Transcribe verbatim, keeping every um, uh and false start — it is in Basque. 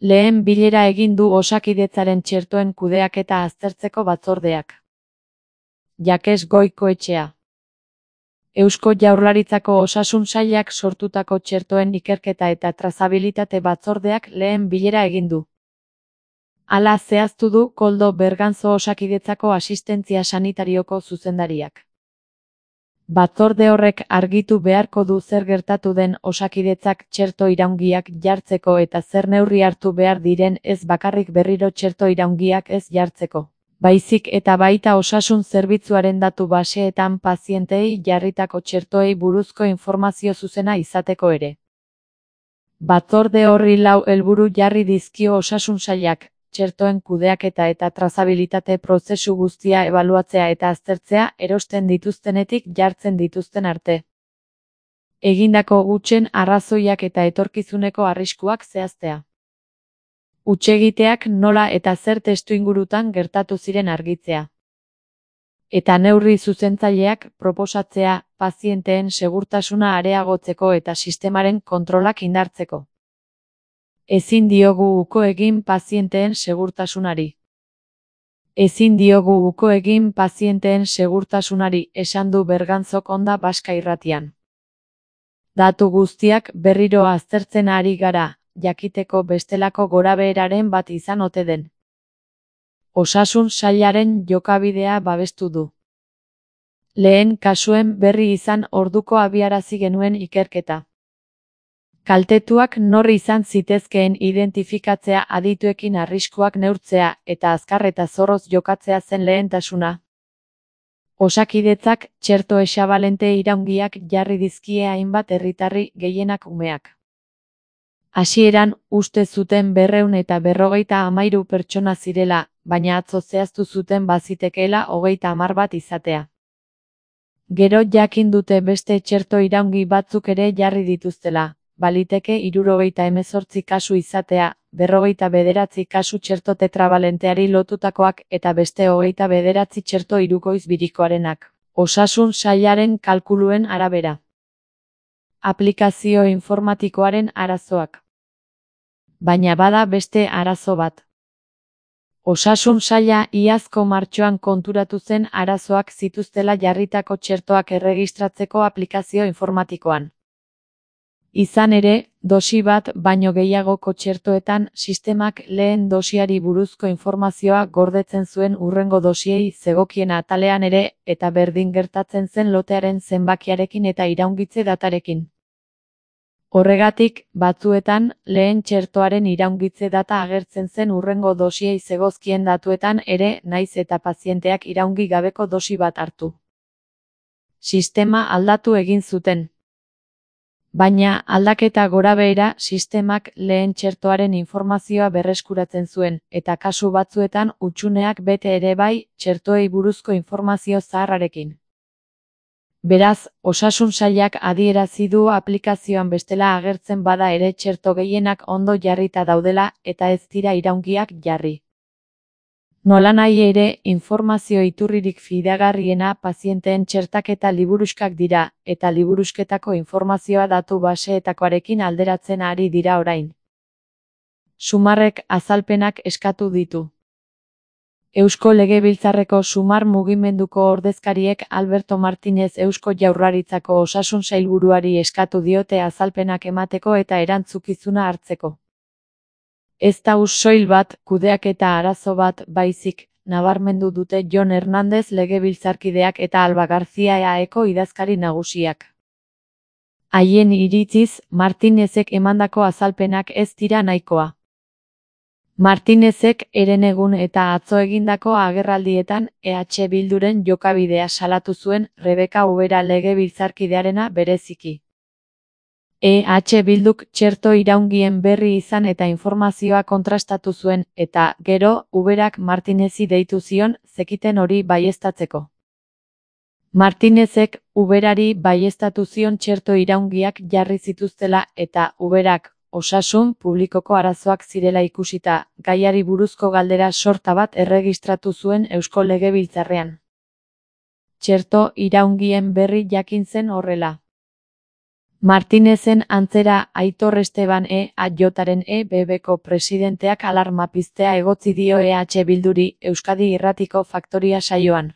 Lehen bilera egin du Osakidetzaren txertoen kudeaketa aztertzeko batzordeak. Jakes Goikoetxea. Eusko Jaurlaritzako Osasun Sailak sortutako txertoen ikerketa eta trazabilitate batzordeak lehen bilera egin du. Hala zehaztu du Koldo Berganzo Osakidetzako asistentzia sanitarioko zuzendariak. Batzorde horrek argitu beharko du zer gertatu den Osakidetzak txerto iraungiak jartzeko eta zer neurri hartu behar diren ez bakarrik berriro txerto iraungiak ez jartzeko, baizik eta baita osasun zerbitzuaren datu baseetan pazienteei jarritako txertoei buruzko informazio zuzena izateko ere. Batzorde horri lau helburu jarri dizkio Osasun Sailak, txertoen kudeaketa eta trazabilitate prozesu guztia ebaluatzea eta aztertzea erosten dituztenetik jartzen dituzten arte. Egindako hutsen arrazoiak eta etorkizuneko arriskuak zehaztea. Hutsegiteak nola eta zer testuingurutan gertatu ziren argitzea. Eta neurri zuzentzaileak proposatzea pazienteen segurtasuna areagotzeko eta sistemaren kontrolak indartzeko. Ezin diogu uko egin pazienteen segurtasunari. Ezin diogu uko egin pazienteen segurtasunari, esan du Berganzok Onda Baska Irratian. Datu guztiak berriro aztertzen ari gara, jakiteko bestelako gorabeheraren bat izan ote den. Osasun Sailaren jokabidea babestu du. Lehen kasuen berri izan orduko abiarazi genuen ikerketa. Kaltetuak nor izan zitezkeen identifikatzea, adituekin arriskuak neurtzea eta azkar eta zorroz jokatzea zen lehentasuna. Osakidetzak txerto hexabalente iraungiak jarri dizkie hainbat herritarri, gehienak umeak. Hasieran uste zuten berrehun eta berrogeita hamairu pertsona zirela, baina atzo zehaztu zuten bazitekeela hogeita hamar bat izatea. Gero jakin dute beste txerto iraungi batzuk ere jarri dituztela. Baliteke hirurogeita hemezortzi kasu izatea, berrogeita bederatzi kasu txerto tetrabalenteari lotutakoak eta beste hogeita bederatzi txerto hirukoiz birikoarenak, Osasun Sailaren kalkuluen arabera. Aplikazio informatikoaren arazoak. Baina bada beste arazo bat. Osasun Saila iazko martxoan konturatu zen arazoak zituztela jarritako txertoak erregistratzeko aplikazio informatikoan. Izan ere, dosi bat baino gehiagoko txertoetan sistemak lehen dosiari buruzko informazioa gordetzen zuen hurrengo dosiei zegokien atalean ere, eta berdin gertatzen zen lotearen zenbakiarekin eta iraungitze datarekin. Horregatik, batzuetan, lehen txertoaren iraungitze data agertzen zen hurrengo dosiei zegozkien datuetan ere, naiz eta pazienteak iraungi gabeko dosi bat hartu. Sistema aldatu egin zuten. Baina, aldaketa gorabehera, sistemak lehen txertoaren informazioa berreskuratzen zuen, eta kasu batzuetan hutsuneak bete ere bai, txertoei buruzko informazio zaharrarekin. Beraz, Osasun Sailak adierazi du aplikazioan bestela agertzen bada ere txerto gehienak ondo jarrita daudela eta ez dira iraungiak jarri. Nolanahi ere, informazio iturririk fidagarriena pazienteen txertaketa liburuskak dira, eta liburusketako informazioa datu baseetakoarekin alderatzen ari dira orain. Sumarrek azalpenak eskatu ditu. Eusko Legebiltzarreko Sumar mugimenduko ordezkariek Alberto Martinez Eusko Jaurlaritzako Osasun Sailburuari eskatu diote azalpenak emateko eta erantzukizuna hartzeko. Ez da soil bat, kudeaketa arazo bat, baizik, nabarmendu dute Jon Hernández legebiltzarkideak eta Alba Garzia E A Eko idazkari nagusiak. Haien iritziz, Martinezek emandako azalpenak ez dira nahikoa. Martinezek herenegun eta atzo egindako agerraldietan E H Bilduren jokabidea salatu zuen, Rebeka Ubera legebiltzarkidearena bereziki. E H Bilduk txerto iraungien berri izan eta informazioa kontrastatu zuen, eta, gero, Uberak Martinezi deitu zion, zekiten hori baieztatzeko. Martinezek Uberari baieztatu zion txerto iraungiak jarri zituztela eta Uberak, osasun publikoko arazoak zirela ikusita, gaiari buruzko galdera sorta bat erregistratu zuen Eusko Legebiltzarrean. Txerto iraungien berri jakin zen horrela. Martinezen antzera Aitor Esteban E H Jren E B Bko presidenteak alarma piztea egotzi dio E H Bilduri Euskadi Irratiko Faktoria saioan.